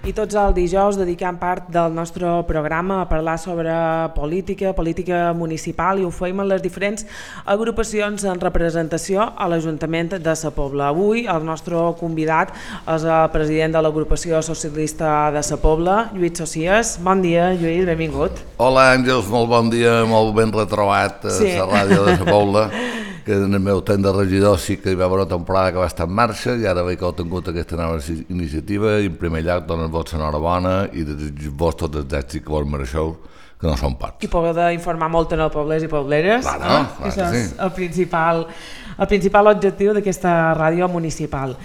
I tots els dijous dedicam part del nostre programa a parlar sobre política municipal, i ho fem en les diferents agrupacions en representació a l'Ajuntament de Sa Pobla. Avui el nostre convidat és el president de l'agrupació socialista de Sa Pobla, Lluís Socias. Bon dia, Lluís, benvingut. Hola Àngels, molt bon dia, molt ben retrobat a la ràdio de Sa Pobla, que en el meu temps de regidor sí que hi va haver una temporada que va estar en marxa i ara veig que heu tingut aquesta nova iniciativa i en primer lloc donar-vos l'enhorabona i desitjar-vos tots els èxits que vos mereixeu, que no són pocs. I poder informar molt en els poblers i pobleres. Clar que és el principal objectiu d'aquesta ràdio municipal.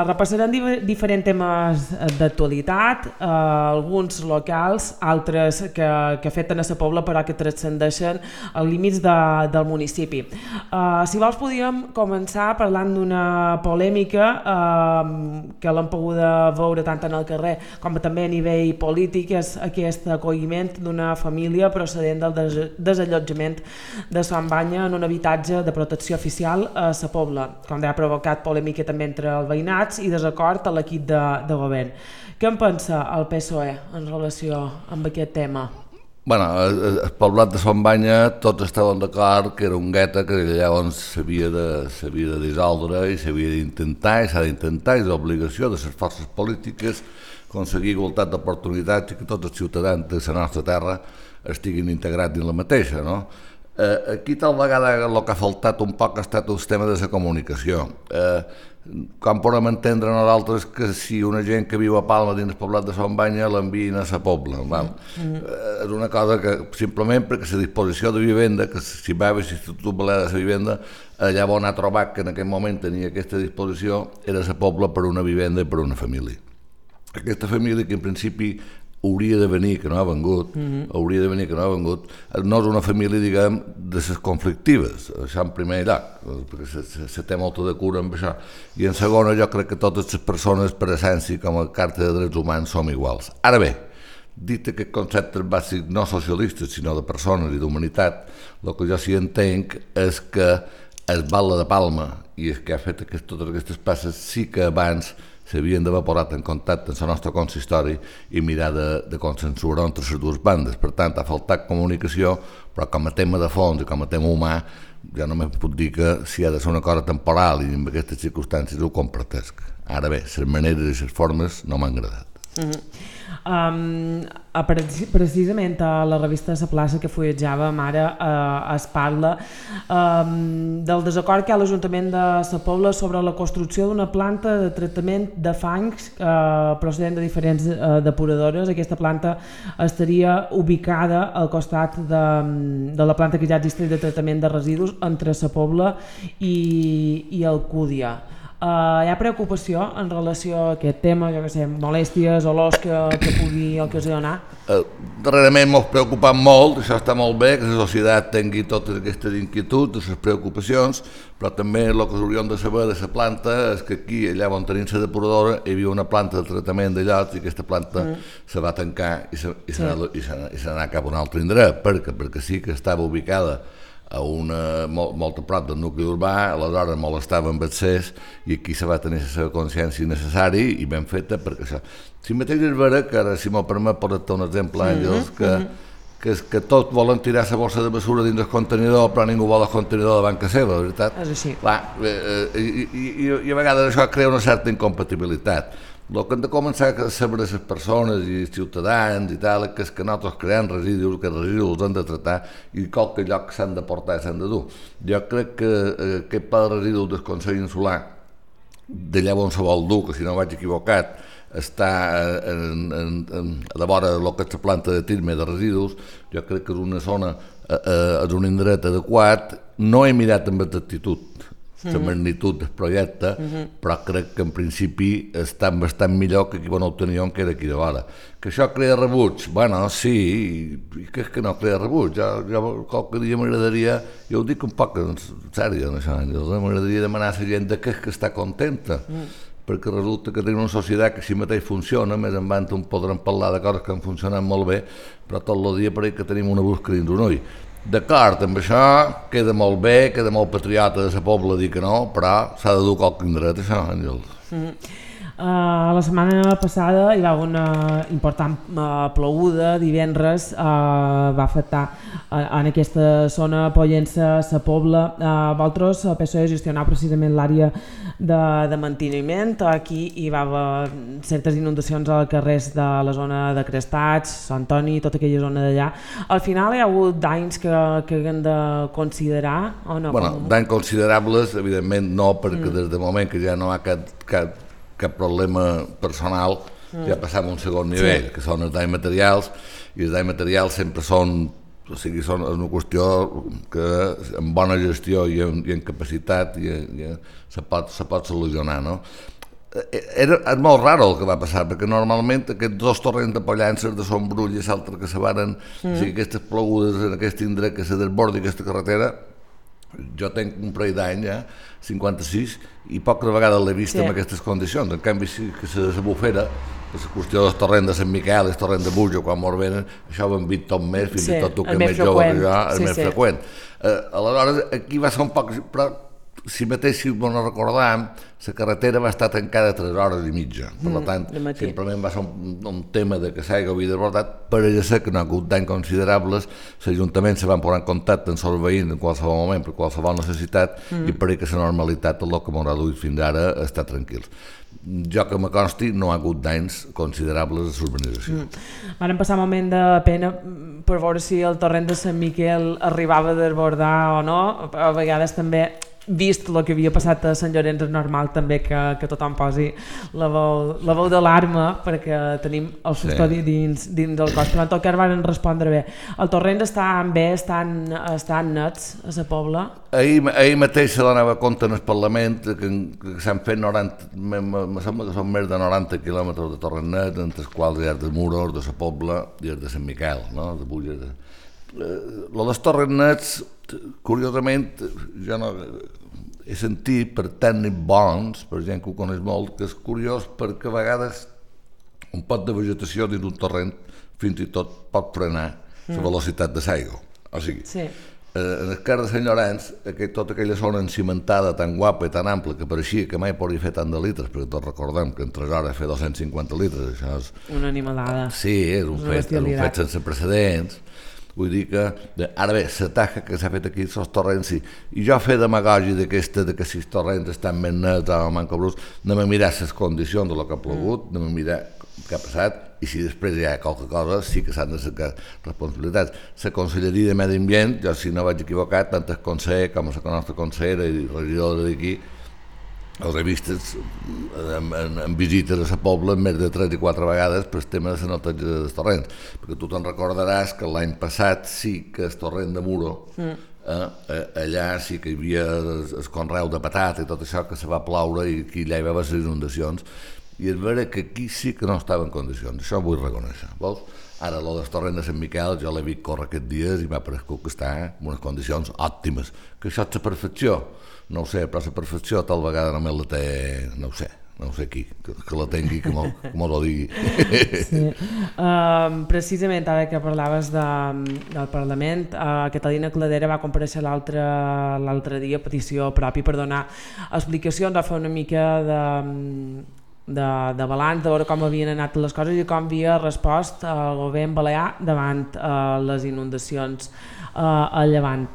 Repassarem diferents temes d'actualitat, alguns locals, altres que afecten a Sa Pobla però que transcendeixen els límits del municipi. Si vols podríem començar parlant d'una polèmica que l'hem pogut veure tant en el carrer com també a nivell polític, és aquest acolliment d'una família procedent del desallotjament de Son Banya en un habitatge de protecció oficial a Sa Pobla, com ha provocat polèmica també entre els veïnats i desacord a l'equip de govern. Què en pensa el PSOE en relació amb aquest tema? Bueno, el poblat de Son Banya tots estaven d'acord que era un gueta que llavors s'havia de dissoldre i s'havia d'intentar i s'ha d'intentar, és l'obligació de les forces polítiques aconseguir igualtat d'oportunitats i que tots els ciutadans de la nostra terra estiguin integrats dins la mateixa, no? Aquí tal vegada el que ha faltat un poc ha estat el tema de la comunicació. Com podem entendre nosaltres que si una gent que viu a Palma dins el poblat de Son Banya l'envien a Sa Pobla? És una cosa que simplement perquè la disposició de vivenda, que si va a l'Institut Balè de la Vivenda, allà on ha trobat que en aquell moment tenia aquesta disposició era Sa Pobla per una vivenda i per una família. Aquesta família que en principi hauria de venir, que no ha vengut, no és una família, diguem, de les conflictives, això en primer lloc, perquè se té molta de cura amb això, i en segona jo crec que totes les persones per essència com a carta de drets humans som iguals. Ara bé, dit aquest concepte bàsic no socialistes sinó de persones i d'humanitat, el que jo sí entenc és que el Batlle de Palma i el que ha fet totes aquestes passes sí que abans s'havien d'haver posat en contacte amb el nostre consistori i mirar de consensuar entre les dues bandes. Per tant, ha faltat comunicació, però com a tema de fons i com a tema humà, jo només puc dir que si ha de ser una cosa temporal i en aquestes circumstàncies ho compartesc. Ara bé, les maneres i les formes no m'han agradat. Precisament a la revista La Plaça que fullejàvem ara es parla del desacord que hi ha a l'Ajuntament de Sa Pobla sobre la construcció d'una planta de tractament de fangs procedent de diferents depuradores. Aquesta planta estaria ubicada al costat de la planta que ja existeix de tractament de residus entre Sa Pobla i Alcúdia. Hi ha preocupació en relació a aquest tema, jo què sé, molèsties, olors que pugui ocasionar? Darrerament m'ho preocupat molt, això està molt bé, que la societat tingui totes aquestes inquietuds, les preocupacions, però també el que hauríem de saber de la planta és que aquí, allà on tenim la depuradora, hi havia una planta de tractament de llots i aquesta planta se va tancar i se n'anà cap a un altre indret. Perquè sí que estava ubicada a molt a prop del nucli urbà, aleshores molestava amb accés i aquí se va tenir la seva consciència necessària i ben feta perquè això. Si mateix és vera que ara, si m'ho permet, posar-te un exemple, Àngels, que tots volen tirar la bossa de basura dins el contenidor però ningú vol el contenidor davant casa seva, veritat? És així. I a vegades això crea una certa incompatibilitat. El que hem de començar a saber les persones i els ciutadans i tal és que nosaltres creem residus, que els residus els hem de tractar i qualque lloc s'han de portar i s'han de dur. Jo crec que aquest pla de residus del Consell Insular, d'allà on se vol dur, que si no vaig equivocat, està a la vora del que és la planta de Tirme de residus, jo crec que és una zona, és un indret adequat. No he mirat amb exactitud la magnitud del projecte, però crec que en principi està bastant millor que aquí on ho teníem, que era aquí de vora. Que això crea rebuig? Bueno, sí, i que és que no crea rebuig. Jo qualque dia m'agradaria, jo ho dic un poc en sèrio, m'agradaria demanar a la gent que és que està contenta, perquè resulta que tenim una societat que si mateix funciona, més endavant podrem parlar de coses que han funcionat molt bé, però tot el dia pareix que tenim una busca dins un ull. D'acord, amb això queda molt bé, queda molt patriota de Sa Pobla dir que no, però s'ha de dur qualque indret, això, Àngels. La setmana passada hi va haver una important ploguda divendres, va afectar en aquesta zona Pollença, Sa Pobla. Vosaltres, el PSOE, gestionar precisament l'àrea de manteniment. Aquí hi va haver certes inundacions als carrers de la zona de Crestats, Sant Antoni, tota aquella zona d'allà. Al final hi ha hagut danys que haguem de considerar o no? Bueno, danys considerables, evidentment no, perquè des del moment que ja no hi ha cap problema personal, ja passam a un segon nivell, que són els danys materials, i els danys materials sempre són, o sigui, són una qüestió que amb bona gestió i en capacitat se pot solucionar, no? És molt raro el que va passar, perquè normalment aquests dos torrents de Pollença, de Son Brull i l'altre que se varen, o sigui, aquestes plogudes en aquest indret que se desbordi aquesta carretera, jo tenc un parell d'any, 56, i poques vegades l'he vist en aquestes condicions. En canvi, sí que la bufera, la qüestió del torrent de Sant Miquel, el torrent de Bujo, quan mos venen, això ho hem vist tot més, fins i tot tu que més jove que jo, és més freqüent. Aleshores, aquí va ser un poc... Però si mateix, si no recordàvem, la carretera va estar tancada 3 hores i mitja. Per tant, simplement va ser un tema de que s'hagi desbordat. Pareix ser que no ha hagut danys considerables. L'Ajuntament se van posar en contacte amb els veïns en qualsevol moment, per qualsevol necessitat, i pareix que la normalitat, tot el que m'haurà duit fins ara, està tranquils. Jo que me consti, no ha hagut danys considerables a l'urbanització. Van passar un moment de pena per veure si el torrent de Sant Miquel arribava a desbordar o no. A vegades també, vist el que havia passat a Sant Llorenç, és normal també que tothom posi la veu d'alarma, perquè tenim el custodi dins del cos. Però en tot cas van respondre bé. El torrent estan bé, estan nets a la Pobla? Ahir mateix se donava compte en el Parlament que s'han fet 90, me sembla que són més de 90 quilòmetres de torrent net, entre els quals hi ha de Muros, de la Pobla i els de Sant Miquel, no? De Bulles. Lo dels torrents nets, curiosament, jo no he sentit per tècnics bons, per gent que ho coneix molt, que és curiós perquè a vegades un pot de vegetació dins un torrent fins i tot pot frenar la velocitat de l'aigua. O sigui, en el cas de Sant Llorenç, tota aquella zona encimentada tan guapa i tan ampla que pareixia que mai podria fer tant de litres, perquè tots recordem que en 3 hores fer 250 litres, això és... Una animalada. Sí, és un fet sense precedents. Vull dir que, ara bé, la taja que s'ha fet aquí als torrents, sí. I jo fer demagògia d'aquesta, que si els torrents estan més nets o manca brus, anem a mirar les condicions de lo que ha plogut, anem a mirar què ha passat, i si després hi ha qualque cosa, sí que s'han de cercar responsabilitats. La Conselleria de Medi Ambient, jo si no vaig equivocat, tant el conseller com la nostra consellera i regidora d'aquí, els he vist en visites a la Pobla més de 3 i 4 vegades per el tema de la neteja dels torrents, perquè tu te'n recordaràs que l'any passat sí que el torrent de Muro, allà sí que hi havia el conreu de patata i tot això, que se va ploure i aquí allà hi va haver les inundacions, i és vera que aquí sí que no estava en condicions, això ho vull reconèixer, vols? Ara, el del torrent de Sant Miquel, jo l'he vist córrer aquests dies i m'ha paregut que està en unes condicions òptimes, que això és la perfecció. No ho sé, però la perfecció tal vegada només la té, no ho sé qui, que la tingui, que m'ho lo digui. Sí. Precisament ara que parlaves del Parlament, Catalina Cladera va comparèixer l'altre dia a petició pròpia per donar explicacions, va fer una mica de balanç, de veure com havien anat les coses i com havia respost el govern balear davant les inundacions al Llevant.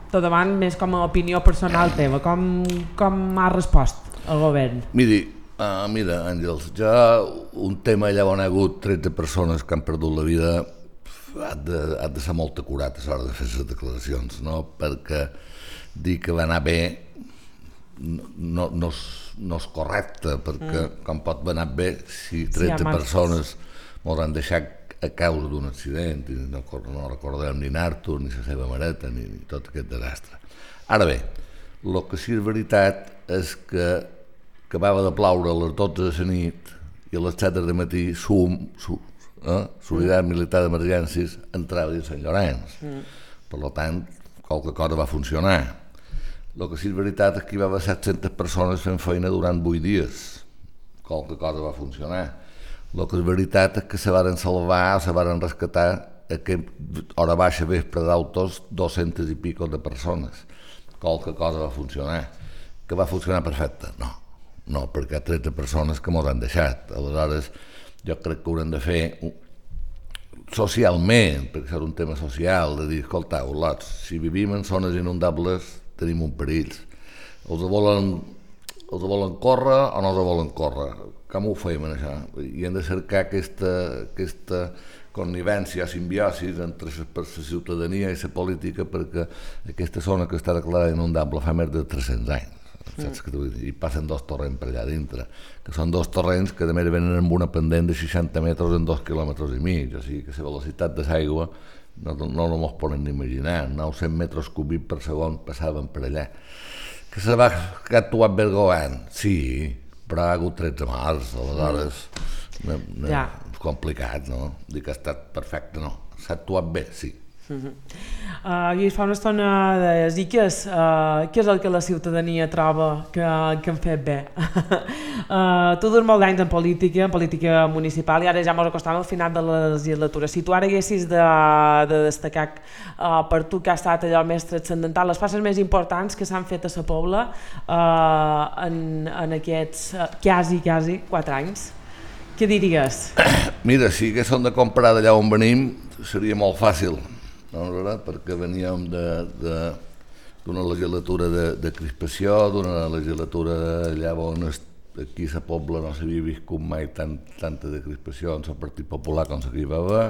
Tot davant, més com a opinió personal teva, com ha respost el govern? Mira, Àngels, ja un tema allà on ha hagut 13 persones que han perdut la vida ha de ser molt acurat a l'hora de fer les declaracions, no? Perquè dir que va anar bé no és correcte, perquè com pot anar bé si 13 persones m'hauran deixat a causa d'un accident, i no recordem ni Artur, ni la seva mareta, ni tot aquest desastre. Ara bé, el que sí és veritat és que acabava de ploure a les 12 de la nit i a les 7 del matí Solidaritat Militar d'Emergències entrava dins Sant Llorenç. Per tant, qualque cosa va funcionar. El que sí és veritat és que hi va haver 700 persones fent feina durant 8 dies. Qualque cosa va funcionar. El que és veritat és que se varen salvar o se varen rescatar a hora baixa vespre d'autos 200 i pico de persones. Qualque cosa va funcionar. Que va funcionar perfecte? no, perquè hi ha 13 persones que mos han deixat. Aleshores, jo crec que haurem de fer socialment, perquè és un tema social, de dir, escoltau, lots, si vivim en zones inundables tenim un perill. Els volen córrer o no els volen córrer? Com ho fem, això? I hem de cercar aquesta connivència, simbiosi entre la ciutadania i la política, perquè aquesta zona que està declarada inundable fa més de 300 anys. Saps què vull dir? I passen 2 torrents per allà dintre, que són 2 torrents que també venen amb una pendent de 60 metres en 2,5 quilòmetres, o sigui que la velocitat de l'aigua no mos poden ni imaginar, 900 metres cúbics per segon passaven per allà. Que ha actuat bé el govern? Sí, però ha hagut 13 morts, aleshores és complicat, no? Dir que ha estat perfecte, no. S'ha actuat bé, sí. I fa una estona deies, i què és el que la ciutadania troba que han fet bé? Tu durs molt d'anys en política municipal, i ara ja ens acostem al final de la legislatura. Si tu ara haguessis de destacar per tu que ha estat allò més transcendental, les passes més importants que s'han fet a la Pobla en aquests quasi 4 anys, què diries? Mira, si haguéssim de comparar d'allà on venim seria molt fàcil, no, perquè veníem d'una legislatura de crispació, d'una legislatura allà on aquí a la Pobla no s'havia viscut mai tanta de crispació en el Partit Popular com s'hi va haver,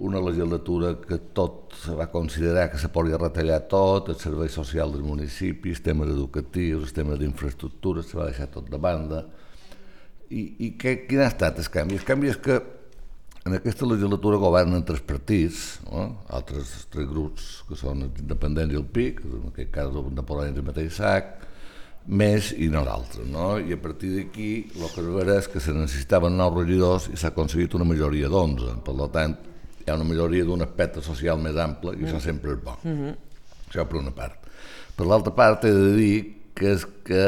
una legislatura que tot se va considerar que se podia retallar tot, el servei social dels municipis, temes educatius, els temes d'infraestructures, se va deixar tot de banda. I quin ha estat el canvi? El canvi és que en aquesta legislatura governen 3 partits, no? Altres 3 grups que són els independents i el PIC, en aquest cas el Napoleó i el mateix sac, més i nosaltres, no? I a partir d'aquí el que es veurà és que se necessitaven 9 regidors i s'ha aconseguit una majoria d'11, per tant hi ha una majoria d'un aspecte social més ample i això sempre és bo. Això per una part. Per l'altra part he de dir que és que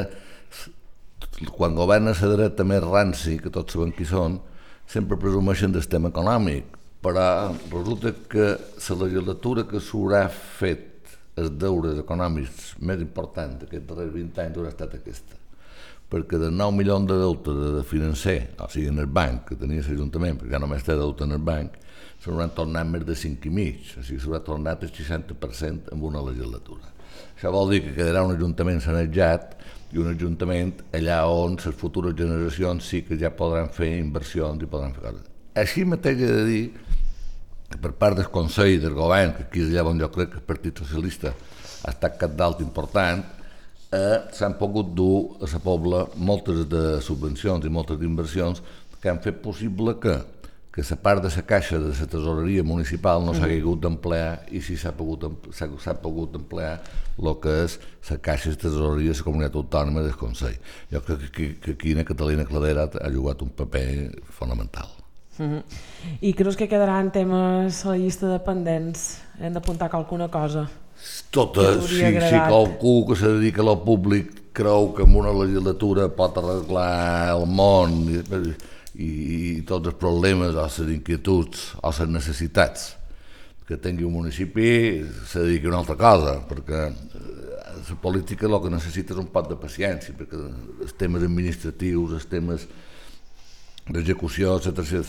quan governa la dreta més ranci, que tots sabem qui són, sempre presumeixen del tema econòmic, però resulta que la legislatura que s'haurà fet els deures econòmics més importants d'aquests darrers 20 anys haurà estat aquesta, perquè de 9 milions de deute de financer, o sigui en el banc que tenia l'Ajuntament, perquè ja només té deute en el banc, se n'hauran tornat més de 5,5, o sigui s'haurà tornat el 60% en una legislatura. Això vol dir que quedarà un ajuntament sanejat i un ajuntament allà on les futures generacions sí que ja podran fer inversions i podran fer coses. Així mateix he de dir que per part del Consell del Govern, que aquí és allà on jo crec que el Partit Socialista ha estat capdalt important, s'han pogut dur a la Pobla moltes de subvencions i moltes d'inversions que han fet possible que la part de la caixa de la tesoreria municipal no s'ha hagut d'emplear i si s'ha pogut emplear el que és la caixa de tesoreria de la comunitat autònoma del Consell. Jo crec que aquí Catalina Cladera ha jugat un paper fonamental. I creus que quedaran temes a la llista de pendents? Hem d'apuntar alguna cosa? Totes, si qualcú que se dedica a lo públic creu que en una legislatura pot arreglar el món i tots els problemes o les inquietuds o les necessitats que tingui un municipi se dediqui a una altra cosa, perquè la política el que necessita és un pot de paciència, perquè els temes administratius, els temes d'execució, etc.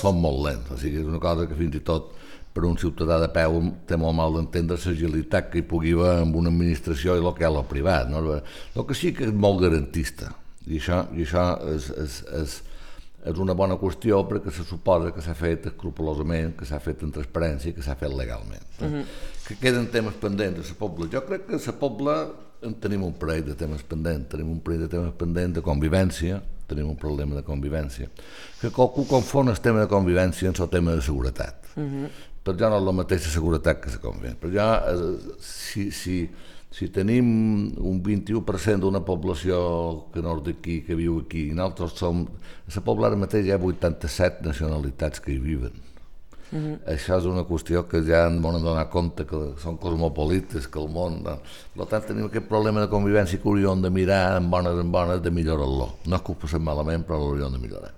són molt lents, o sigui, és una cosa que fins i tot per un ciutadà de peu té molt mal d'entendre l'agilitat que hi pugui haver amb una administració i el que hi ha a lo privat, no? El que sí que és molt garantista, i això és una bona qüestió perquè se suposa que s'ha fet escrupolosament, que s'ha fet en transparència i que s'ha fet legalment. Que queden temes pendents a la Pobla. Jo crec que a la Pobla tenim un parell de temes pendents, de convivència, tenim un problema de convivència, que qualcú confon el tema de convivència amb el tema de seguretat. Per jo no és la mateixa seguretat que la convivència. Per jo, si tenim un 21% d'una població que no és d'aquí, que viu aquí, i nosaltres som... A la Pobla ara mateix hi ha 87 nacionalitats que hi viven. Això és una qüestió que ja ens hem donat compte que són cosmopolites, que el món... Per tant, tenim aquest problema de convivència que hauríem de mirar en bones de millorar-lo. No és que ho passem malament, però l'hauríem de millorar.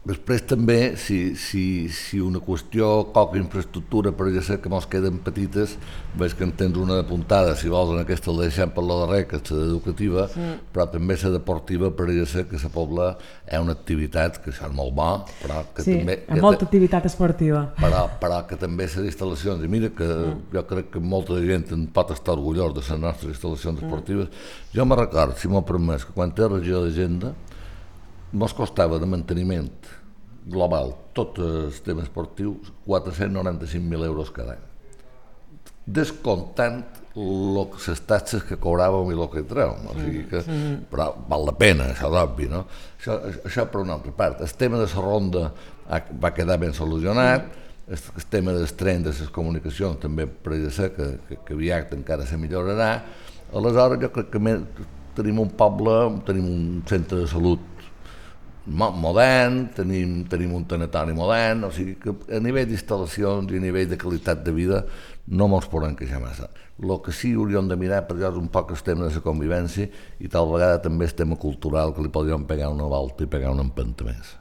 Després també, si una qüestió, qualque infraestructura, per exemple, que mos queden petites, veig que en tens una apuntada, si vols, en aquesta la deixem per la darrera, que és l'educativa, però també la deportiva, per exemple, que la Pobla és una activitat que és molt bo, però que també... Sí, molta activitat esportiva. Però que també les instal·lacions, i mira que jo crec que molta gent en pot estar orgullós de les nostres instal·lacions esportives. Jo me recordo, si m'ho permès, que quan té regió d'agenda, mos costava de manteniment global, tot el tema esportiu, 495.000 euros cada any. Descomptant les taxes que cobràvem i el que trèiem. O sigui que, però val la pena, això d'obvi, no? Això per una altra part. El tema de la ronda va quedar ben solucionat, el tema dels trens, de les comunicacions, també pareix ser que aviat encara se millorarà. Aleshores, jo crec que tenim un poble, tenim un centre de salut modern, tenim un tanatori modern, o sigui que a nivell d'instal·lacions i a nivell de qualitat de vida no ens podem queixar massa. El que sí hauríem de mirar per és un poc el tema de la convivència i tal vegada també el tema cultural, que li podríem pegar una volta i pegar una empenta més.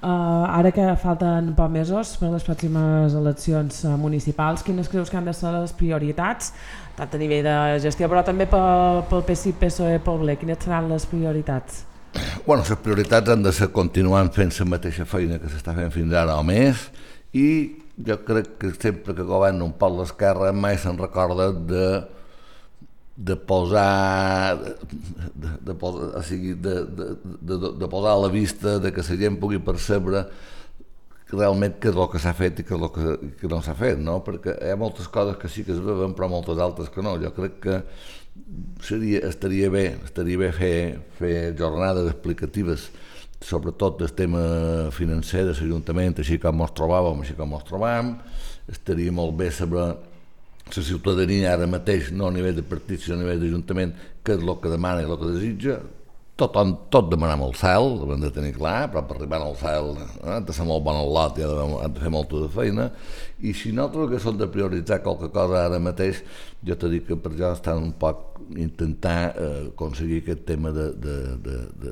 Ara que falten pocs mesos per les pròximes eleccions municipals, quines creus que han de ser les prioritats, tant a nivell de gestió però també pel PSI, PSOE, Pobla, quines seran les prioritats? Bueno, les prioritats han de ser continuant fent la mateixa feina que s'està fent fins ara o més, i jo crec que sempre que governa un poc l'esquerra mai se'n recorda de posar a la vista de que la gent pugui percebre realment què és el que s'ha fet i què és el que no s'ha fet, no? Perquè hi ha moltes coses que sí que es veuen però moltes altres que no. Jo crec que estaria bé fer jornades explicatives sobretot del tema financer de l'Ajuntament, així com ens trobàvem, així com ens trobam. Estaria molt bé saber la ciutadania ara mateix, no a nivell de partit, sinó a nivell d'Ajuntament, què és el que demana i el que desitja. Tot demanem el cel, ho hem de tenir clar, però per arribar al cel han de ser molt bon al lot i han de fer molta de feina. I si nosaltres haguéssim de prioritzar qualque cosa ara mateix, jo t'he dit que per això estan un poc intentar aconseguir aquest tema de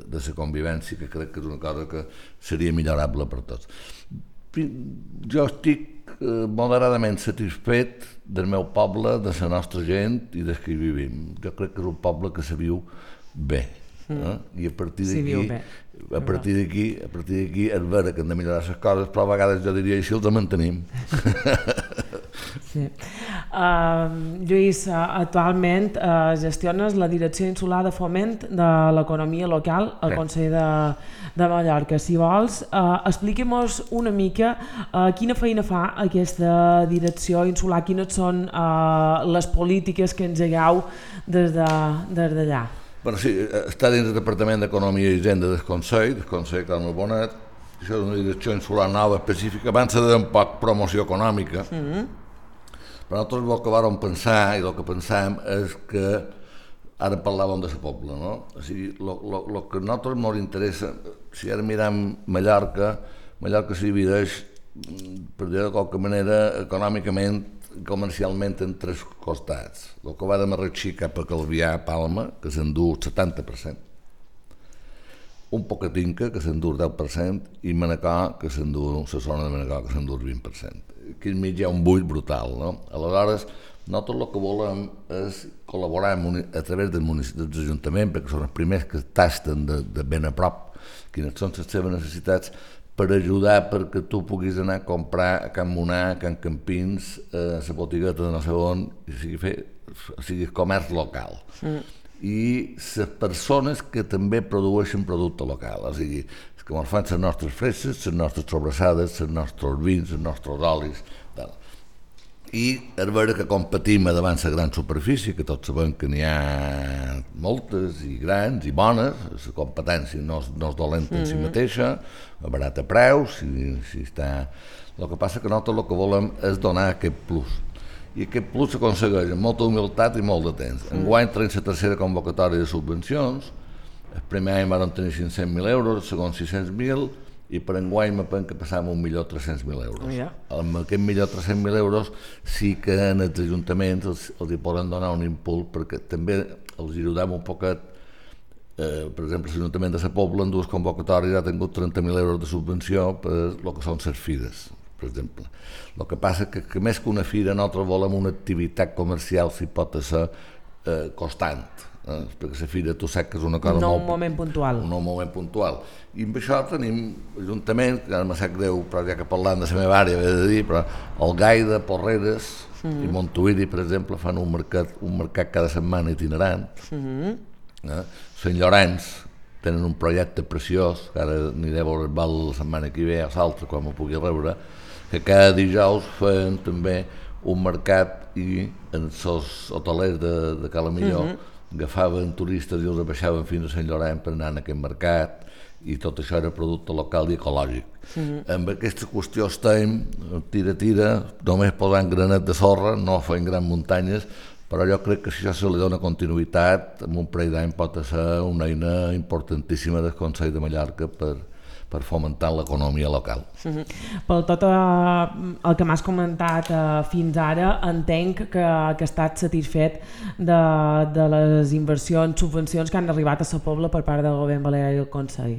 la convivència, que crec que és una cosa que seria millorable per tots. Jo estic moderadament satisfet del meu poble, de la nostra gent i des que hi vivim. Jo crec que és un poble que se viu bé. I a partir d'aquí és vera que hem de millorar les coses, però a vegades jo diria així els mantenim. Sí. Lluís, actualment gestiones la Direcció Insular de Foment de l'Economia Local al Consell de Mallorca. Si vols, expliquem-nos una mica quina feina fa aquesta Direcció Insular, quines són les polítiques que engegueu des d'allà. Bueno, sí, està dins del Departament d'Economia i Hisenda del Consell Carme Bonet. Això és una direcció insular nova específica, abans de un poc promoció econòmica. Però nosaltres el que vàrem pensar, i el que pensàvem, és que ara parlàvem de la Pobla, no? O sigui, el que a nosaltres ens interessa, si ara mirem Mallorca s'hi divideix, per dir-ho de qualque manera, econòmicament, comercialment en tres costats. El que va de Marratxí cap a Calvià, Palma, que s'endú el 70%, un Pocatinca, que s'endú el 10%, i Manacor, que s'endú, la zona de Manacor, que s'endú el 20%. Aquí enmig hi ha un buit brutal, no? Aleshores, nosaltres el que volem és col·laborar a través dels ajuntaments, perquè són els primers que tasten de ben a prop quines són les seves necessitats, per ajudar perquè tu puguis anar a comprar a Can Monar, a Can Campins, a la botigueta de no sé on, o sigui comerç local. I les persones que també produeixen producte local, o sigui, que ens fan les nostres fresses, les nostres sobrassades, els nostres vins, els nostres olis, tal. I és vera que competim davant la gran superfície, que tots sabem que n'hi ha moltes i grans i bones, la competència no és dolenta en si mateixa, a barat a preus, si està... El que passa que nosaltres el que volem és donar aquest plus. I aquest plus s'aconsegueix amb molta humilitat i molt de temps. Enguany tenim la tercera convocatòria de subvencions, el primer any vam tenir 500.000 euros, el segon 600.000, i per enguany me penso que passàvem 1.300.000 euros. Amb aquests 1.300.000 euros sí que en els ajuntaments els hi poden donar un impuls perquè també els ajudem un poquet Per exemple, l'Ajuntament de la Pobla en dues convocatòries ha tingut 30.000 euros de subvenció per el que són les fires, per exemple. El que passa és que més que una fira nosaltres volem una activitat comercial si pot ser constant, perquè la fira tu saps que és una cosa no un moment puntual. Un moment puntual. I amb això tenim Ajuntament, que ara me sap greu, però ja que parlant de la meva àrea he de dir, però Algaida, Porreres i Montuïri, per exemple, fan un mercat cada setmana itinerant. Sant Llorenç tenen un projecte preciós, que ara aniré a veure el bal la setmana que ve, a l'altre, quan m'ho pugui rebre, que cada dijous feien també un mercat i els hotelers de Calamillor agafaven turistes i els baixaven fins a Sant Llorenç per anar a aquest mercat, i tot això era producte local i ecològic. Amb aquesta qüestió estem tira, només posant granet de sorra, no fent grans muntanyes, però jo crec que si això se li dona continuïtat, en un parell d'any pot ser una eina importantíssima del Consell de Mallorca per fomentar l'economia local. Per tot el que m'has comentat fins ara, entenc que has estat satisfet de les inversions, subvencions que han arribat a la Pobla per part del govern balear i el Consell.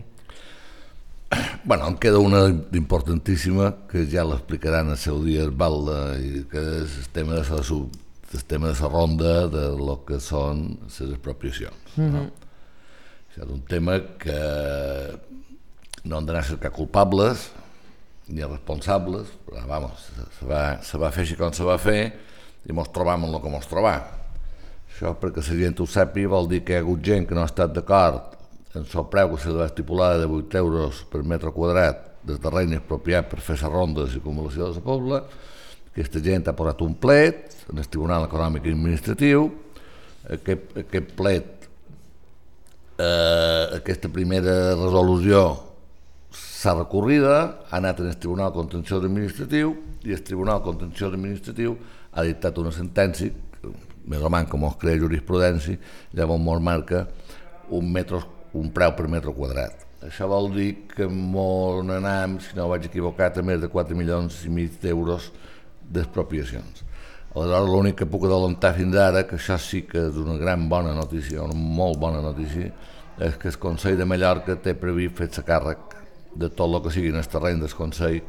Bueno, en queda una importantíssima que ja l'explicaran el seu dia el Balda, i que és el tema de la ronda de lo que són les expropiacions. Això és un tema que no han d'anar a cercar culpables ni responsables, però vamos, se va fer així com se va fer i mos trobam en el que mos trobam. Això, perquè la gent ho sàpiga, vol dir que hi ha hagut gent que no ha estat d'acord en el preu que se va estipular de 8 euros per metre quadrat del terreny expropiat per fer la ronda de circunvalació de la Pobla. Aquesta gent ha posat un plet en el Tribunal Econòmic i Administratiu. Aquest plet, aquesta primera resolució s'ha recorrida, ha anat en el Tribunal Contenciós Administratiu, i el Tribunal Contenciós Administratiu ha dictat una sentència, més o menys com es crea jurisprudència, llavors mos marca un preu per metre quadrat. Això vol dir que mos n'anem, si no vaig equivocat, a més de 4,5 milions d'euros d'expropiacions. Aleshores, l'únic que puc adelantar fins ara, que això sí que és una gran bona notícia, una molt bona notícia, és que el Consell de Mallorca té previst fer-se càrrec de tot el que sigui en el terreny del Consell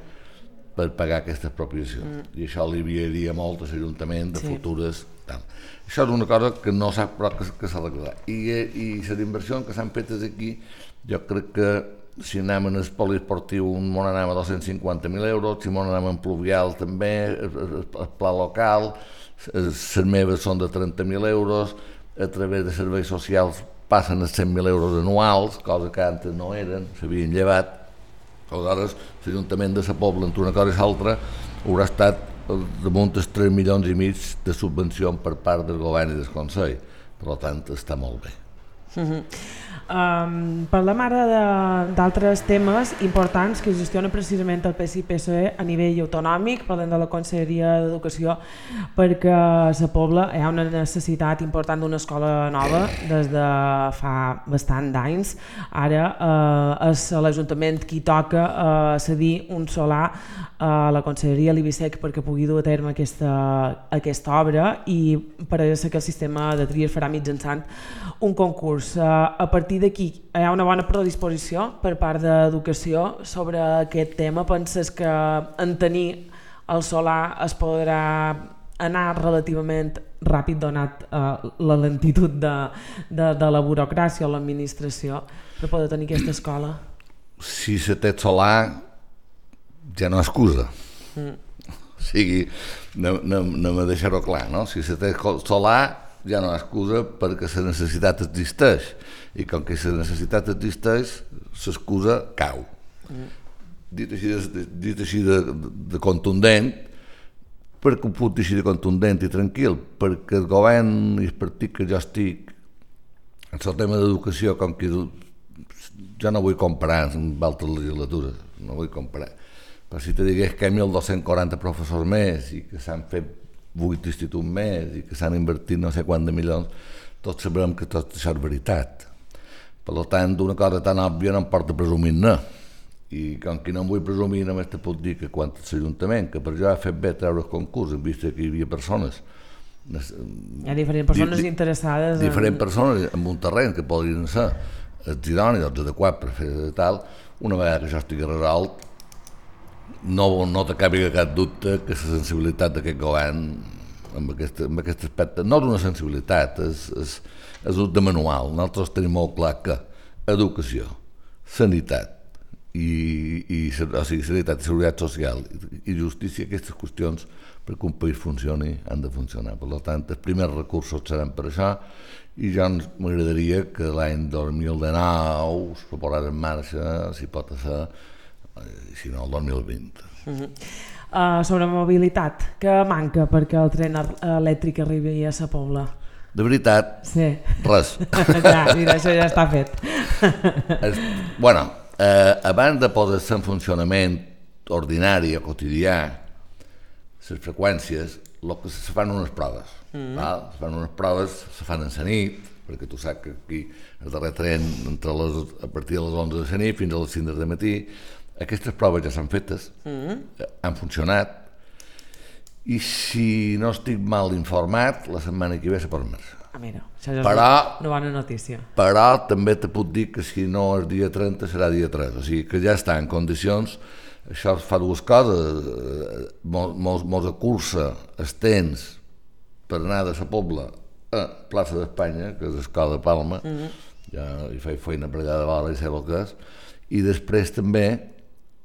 per pagar aquesta expropiació. I això aliviaria molt a l'Ajuntament de futures... Això és una cosa que no sap però que s'arreglarà. I les inversions que s'han fetes aquí, jo crec que si anem en el poliesportiu m'on anem a 250.000 euros, si m'on anem en pluvial també, el pla local, les meves són de 30.000 euros, a través de serveis socials passen a 100.000 euros anuals, cosa que antes no eren, s'havien llevat. Aleshores, l'Ajuntament de la Pobla, entre una cosa i l'altra, haurà estat damunt els 3,5 milions de subvenció per part del govern i del Consell. Per tant, està molt bé. Parlem ara d'altres temes importants que gestiona precisament el PSI i PSOE a nivell autonòmic. Parlem de la Conselleria d'Educació, perquè a la Pobla hi ha una necessitat important d'una escola nova des de fa bastant d'anys. Ara és l'Ajuntament qui toca cedir un solar a la Conselleria l'Ibisec perquè pugui dur a terme aquesta obra, i pareix ser que el sistema de tria es farà mitjançant un concurs. A partir d'aquí hi ha una bona predisposició per part d'Educació sobre aquest tema. Penses que en tenir el solar es podrà anar relativament ràpid donat la lentitud de la burocràcia o l'administració per poder tenir aquesta escola? Si se té solar ja no excusa. O sigui, no me deixar-ho clar, no? Si se té solar ja no excusa perquè la necessitat existeix, i com que la necessitat existeix, l'excusa cau. Dit així de contundent, perquè ho puc dir així de contundent i tranquil, perquè el govern i el partit que jo estic en el tema d'educació, com que jo no vull comparar amb altres legislatures, no vull comparar, però si te digués que hi ha 1.240 professors més i que s'han fet 8 instituts més i que s'han invertit no sé quant de milions, tots sabrem que tot això és veritat. Per tant, d'una cosa tan òbvia no em porta presumir-ne. I com que no em vull presumir, només te puc dir que quan l'Ajuntament, que per jo ha fet bé treure el concurs, en vista que hi havia persones... Hi ha diferents persones interessades... Diferents persones en un terreny que podrien ser, és idoni, doncs adequat per fer tal, una vegada que això estigui resolt, no te cabi cap dubte que la sensibilitat d'aquest govern amb aquest aspecte, no és una sensibilitat, és un de manual. Nosaltres tenim molt clar que educació, sanitat, o sigui, sanitat i seguretat social i justícia, aquestes qüestions perquè un país funcioni han de funcionar. Per tant, els primers recursos seran per això i ja m'agradaria que l'any 2019 es posarà en marxa, si pot ser, si no el 2020. Sobre mobilitat, què manca perquè el tren elèctric arribi a sa Pobla? De veritat, sí. Res. Ja, mira, això ja està fet. Bueno, abans de posar-se en funcionament ordinari o quotidià les freqüències, se fan unes proves. Se fan unes proves, se fan en la nit, perquè tu saps que aquí el darrer tren a partir de les 11 de la nit fins a les 5 del matí. Aquestes proves ja s'han fetes, han funcionat, i si no estic mal informat, la setmana que ve se pot marxar. Mira, això ja és una bona notícia. Però també te puc dir que si no és dia 30 serà dia 3, o sigui que ja està en condicions. Això fa dues coses, mos acursa els temps per anar de la Pobla a plaça d'Espanya, que és l'escola de Palma, ja hi faig feina per allà de vora i sé el que és, i després també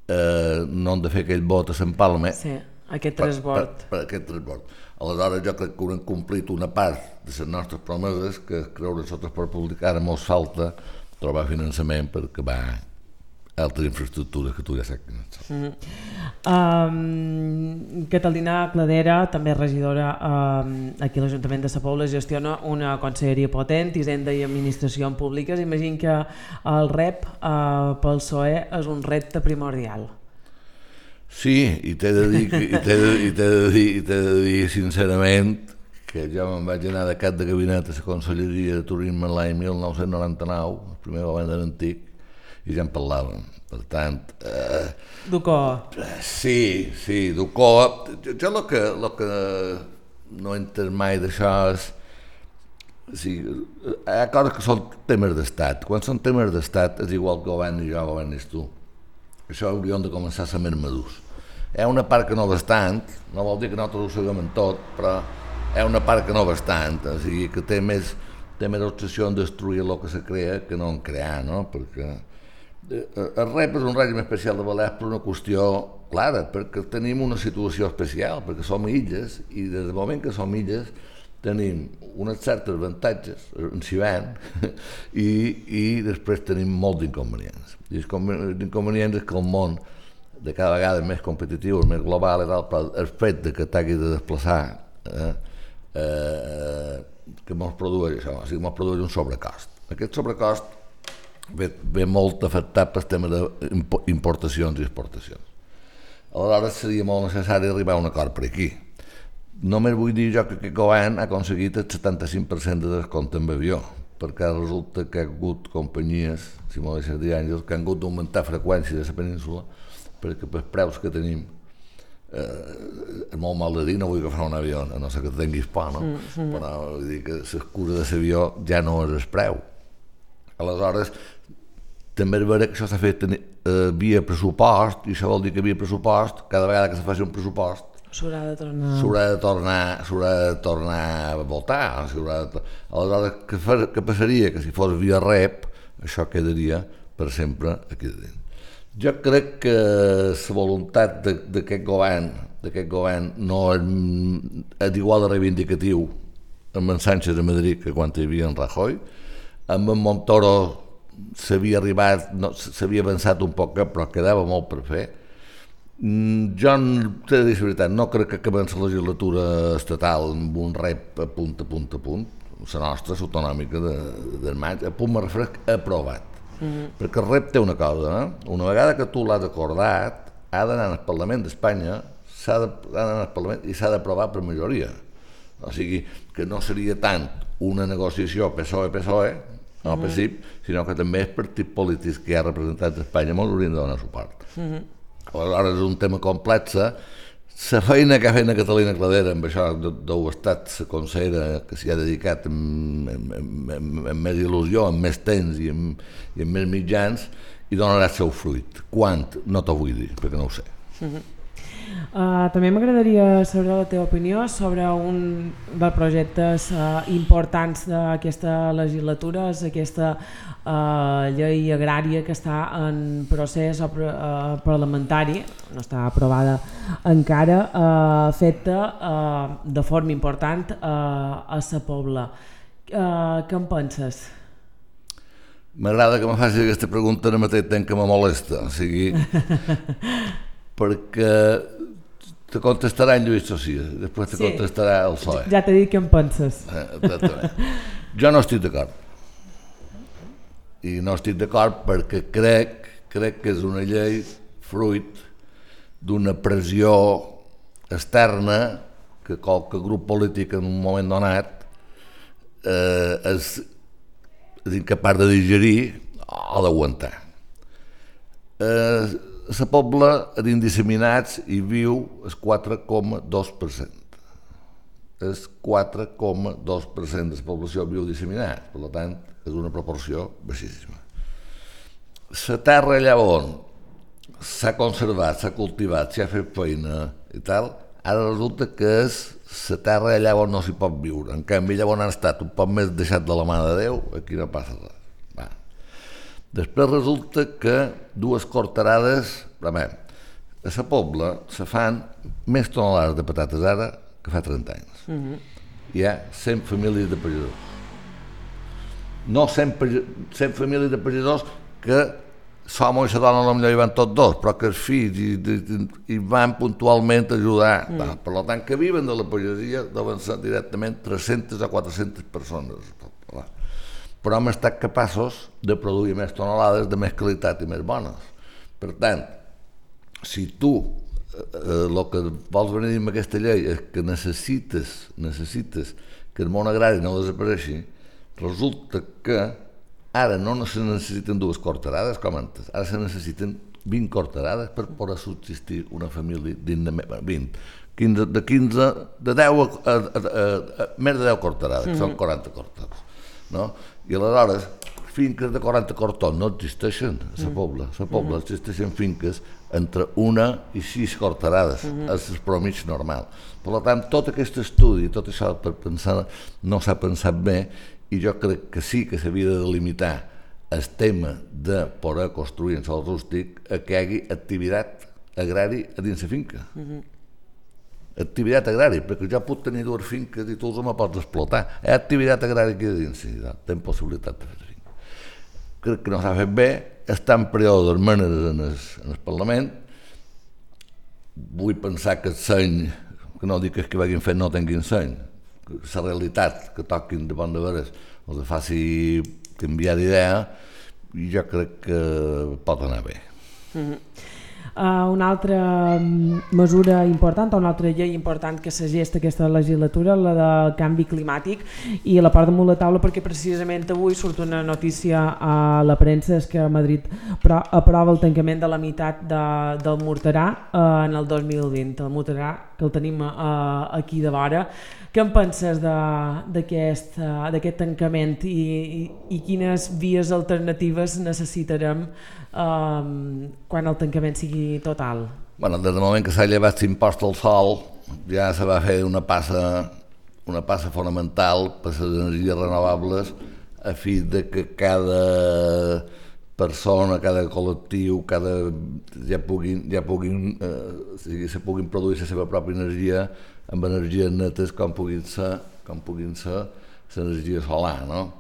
no hem de fer aquell vot a Sant Palma. Sí, aquest transbord. Per aquest transbord. Aleshores jo crec que haurem complit una part de les nostres promeses, que creure nosaltres per publicar, ara mos falta trobar finançament per acabar altres infraestructures que tu ja saps. Catalina Cladera, també regidora aquí a l'Ajuntament de Sa Pobla, gestiona una conselleria potent, Hisenda i Administració Públiques. Imagino que el rep pel PSOE és un repte primordial. Sí, i t'he de dir sincerament que jo me'n vaig anar de cap de gabinet a la conselleria de turisme l'any 1999, el primer govern de l'antic, i ja en parlàvem. Per tant... D'Ucoa. Sí, d'Ucoa. Jo el que no he entès mai d'això és... Hi ha coses que són temes d'estat. Quan són temes d'estat és igual que governi jo, governis tu. Això hauríem de començar a ser més madurs. Hi ha una part que no bastant, no vol dir que nosaltres ho sabem en tot, però hi ha una part que no bastant, o sigui que té més obsessió en destruir el que se crea que no en crear, no? Perquè el REP és un règim especial de Balears per una qüestió clara, perquè tenim una situació especial, perquè som illes, i des del moment que som illes tenim uns certs avantatges en Sivant i després tenim molts d'inconvenients. I els inconvenients és que el món de cada vegada és més competitiu, és més global, el fet que t'hagi de desplaçar que mos produeix això, o sigui, mos produeix un sobrecost. Aquest sobrecost ve molt afectat pel tema d'importacions i exportacions. Aleshores seria molt necessari arribar a un acord per aquí. Només vull dir jo que aquest govern ha aconseguit el 75% de descompte en avió, perquè resulta que hi ha hagut companyies, si m'ho deixes dir, Àngels, que han hagut d'augmentar freqüències a la península perquè pels preus que tenim és molt mal de dir, no vull agafar un avió, a no ser que tinguis por, no? Però vull dir que l'excusa de l'avió ja no és el preu. Aleshores, també és vera que això s'ha fet via pressupost, i això vol dir que via pressupost, cada vegada que se faci un pressupost, s'haurà de tornar a votar. Aleshores, què passaria? Que si fos via rep, això quedaria per sempre aquí dins. Jo crec que la voluntat d'aquest govern no és igual de reivindicatiu amb en Sánchez a Madrid que quan hi havia en Rajoy. Amb en Montoro s'havia avançat un poc, però quedava molt per fer. Jo, t'he de dir la veritat, no crec que acabem la legislatura estatal amb un rep a punt, la nostra, l'autonòmica del maig, a punt me refresc aprovat. Perquè el rep té una cosa, una vegada que tu l'has acordat, ha d'anar al Parlament d'Espanya, i s'ha d'aprovar per majoria. O sigui, que no seria tant una negociació PSOE, no PSIP, sinó que també els partits polítics que hi ha representats a Espanya molt haurien de donar suport. Aleshores és un tema complex, La feina que ha fet la Catalina Cladera amb això deu estat la consellera que s'hi ha dedicat amb més il·lusió, amb més temps i amb més mitjans, i donarà el seu fruit. Quan? No t'ho vull dir, perquè no ho sé. També m'agradaria saber la teva opinió sobre un dels projectes importants d'aquesta legislatura, és aquesta llei agrària que està en procés parlamentari, no està aprovada encara, feta de forma important a Sa Pobla. Què en penses? M'agrada que me facis aquesta pregunta al mateix temps que me molesta, o sigui, perquè te contestarà en Lluís Socia, després te contestarà el PSOE. Ja t'he dit què en penses. Exactament. Jo no estic d'acord. I no estic d'acord perquè crec que és una llei fruit d'una pressió externa que qualque grup polític en un moment donat és incapaç de digerir o d'aguantar. A la Pobla, dins disseminats, hi viu el 4,2%. El 4,2% de la població viu disseminat, per tant, és una proporció baixíssima. La terra allà on s'ha conservat, s'ha cultivat, s'ha fet feina i tal, ara resulta que és la terra allà on no s'hi pot viure. En canvi, allà on han estat un poc més deixat de la mà de Déu, aquí no passa res. Després resulta que dues corterades, a la Pobla se fan més tonelades de patates ara que fa 30 anys. Hi ha 100 famílies de pagesos. No 100 famílies de pagesos que l'home i la dona potser hi van tots dos, però que els fills hi van puntualment ajudar. Per tant, que viven de la pagesia deuen ser directament 300 o 400 persones. Però hem estat capaços de produir més tonelades de més qualitat i més bones. Per tant, si tu el que vols venir amb aquesta llei és que necessites que el món agrari no desapareixi, resulta que ara no se necessiten dues corterades com antes, ara se necessiten 20 corterades per poder subsistir una família dignament. 20, de 15, de 10 a més de 10 corterades, que són 40 cortons. No? I aleshores, finques de 40 cortons no existeixen a la Pobla. A la Pobla existeixen finques entre 1 i 6 corterades, és el promig normal. Per tant, tot aquest estudi, tot això per pensar, no s'ha pensat bé, i jo crec que sí que s'havia de delimitar el tema de poder construir en sòl rústic a que hi hagi activitat agrària a dins la finca. Activitat agrària, perquè jo puc tenir dues finques i tu els me pots explotar. Hi ha activitat agrària aquí a dins, sí, tenen possibilitat de fer finca. Crec que no s'ha fet bé, està en període d'esmenes en el Parlament. Vull pensar que el seny, que no dic que vagin fet no tinguin seny, la realitat que toquin de bon de veres els faci canviar d'idea, i jo crec que pot anar bé. Una altra mesura important, una altra llei important que s'agesta aquesta legislatura, la del canvi climàtic, i la porto damunt la taula perquè precisament avui surt una notícia a la premsa, és que Madrid aprova el tancament de la meitat del Morterà en el 2020, el Morterà que el tenim aquí de vora. Què en penses d'aquest tancament i quines vies alternatives necessitarem quan el tancament sigui total? Des del moment que s'ha llevat l'impost al sol ja se va fer una passa fonamental per les energies renovables a fi de que cada persona, cada col·lectiu, ja puguin produir la seva pròpia energia amb energies netes com puguin ser l'energia solar, no?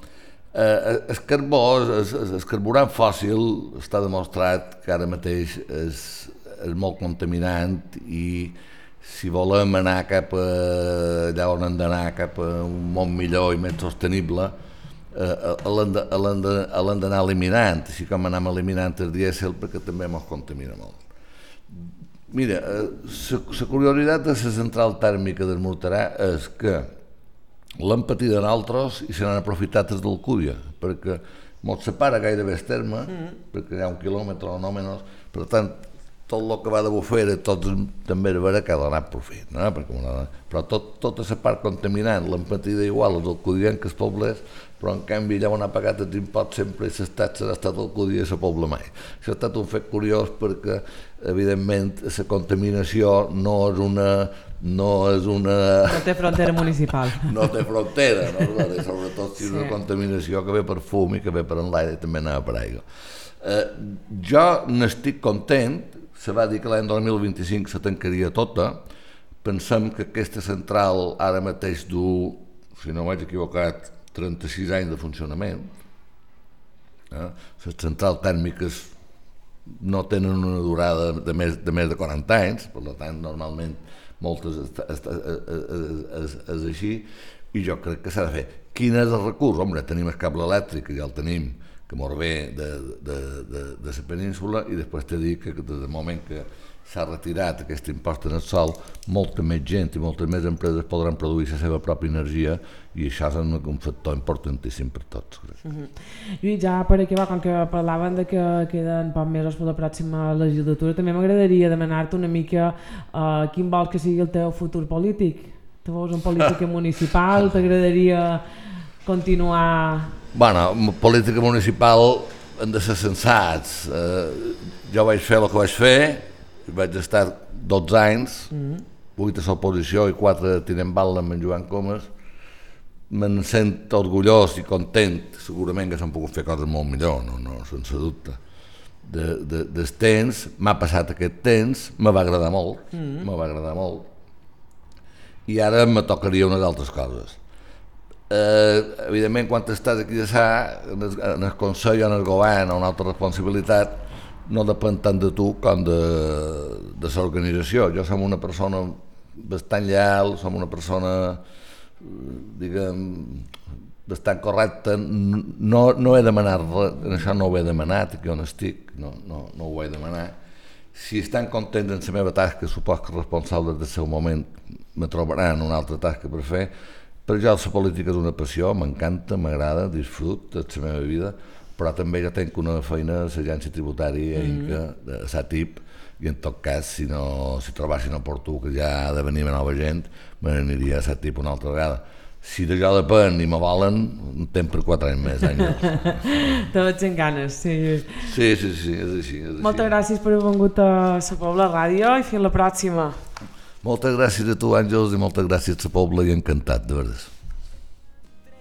El carbó, el carburant fòssil, està demostrat que ara mateix és molt contaminant, i si volem anar cap a allà on hem d'anar, cap a un món millor i més sostenible, l'hem d'anar eliminant, així com anem eliminant el dièsel perquè també ens contamina molt. Mira, la curiositat de la central tèrmica del Morterà és que l'han patit en altres i se n'han aprofitat des d'Alcúdia, perquè ens separa gairebé el terme, perquè hi ha 1 quilòmetre o no menys, per tant, tot el que va de bufera, tot també era vera que ha donat profit, no? Però tota la part contaminant, l'empatida igual, els alcudien que es poblés, però en canvi allà on ha pagat els imposts sempre i les taxes ha estat alcudia i la pobla mai. Això ha estat un fet curiós perquè, evidentment, la contaminació no té frontera municipal. No té frontera, no? Sobretot si és una contaminació que ve per fum i que ve per enlaire i també anava per aigua. Jo n'estic content, se va dir que l'any 2025 se tancaria tota, pensem que aquesta central ara mateix du, si no m'haig equivocat, 36 anys de funcionament. Les centrals tèrmiques no tenen una durada de més de 40 anys, per tant, normalment moltes és així, i jo crec que s'ha de fer. Quin és el recurs? Home, tenim el cable elèctric, que ja el tenim, que mos ve de la península, i després t'he dit que des del moment que s'ha retirat aquest impost en el sol, molta més gent i moltes més empreses podran produir la seva pròpia energia, i això és un factor importantíssim per tots. Lluís, ja per acabar, com que parlaven de que queden pocs mesos per la pròxima legislatura, també m'agradaria demanar-te una mica quin vols que sigui el teu futur polític. Tu vols en política municipal? T'agradaria continuar... Bueno, política municipal hem de ser sensats. Jo vaig fer el que vaig fer, vaig estar 12 anys, 8 a l'oposició i 4 tinent bal amb en Joan Comas. Me'n sent orgullós i content, segurament que s'han pogut fer coses molt millor, no, sense dubte. Del temps, m'ha passat aquest temps, me va agradar molt, i ara me tocaria unes altres coses. Evidentment, quan estàs aquí en el Consell o en el Govern o una altra responsabilitat, no depèn tant de tu com de l'organització. Jo som una persona bastant lleial, som una persona, diguem, bastant correcta. No he demanat res, en això no ho he demanat, aquí on estic, no ho he demanat. Si estan contents en la meva tasca, supos que els responsables del seu moment me trobaran una altra tasca per fer. Per jo la política és una passió, m'encanta, m'agrada, disfruto de la meva vida, però també jo tenc una feina a l'agència tributària de SATIP, i en tot cas, si trobassin oportú que ja ha de venir nova gent, me n'aniria a SATIP una altra vegada. Si d'això depèn i me volen, un temps per 4 anys més, Àngels. Te veig en ganes, sí. Sí, és així. Moltes gràcies per haver vingut a la Pobla Ràdio i fins la pròxima. Moltes gràcies a tu, Àngels, i moltes gràcies a Pobla, i encantat, de veritat.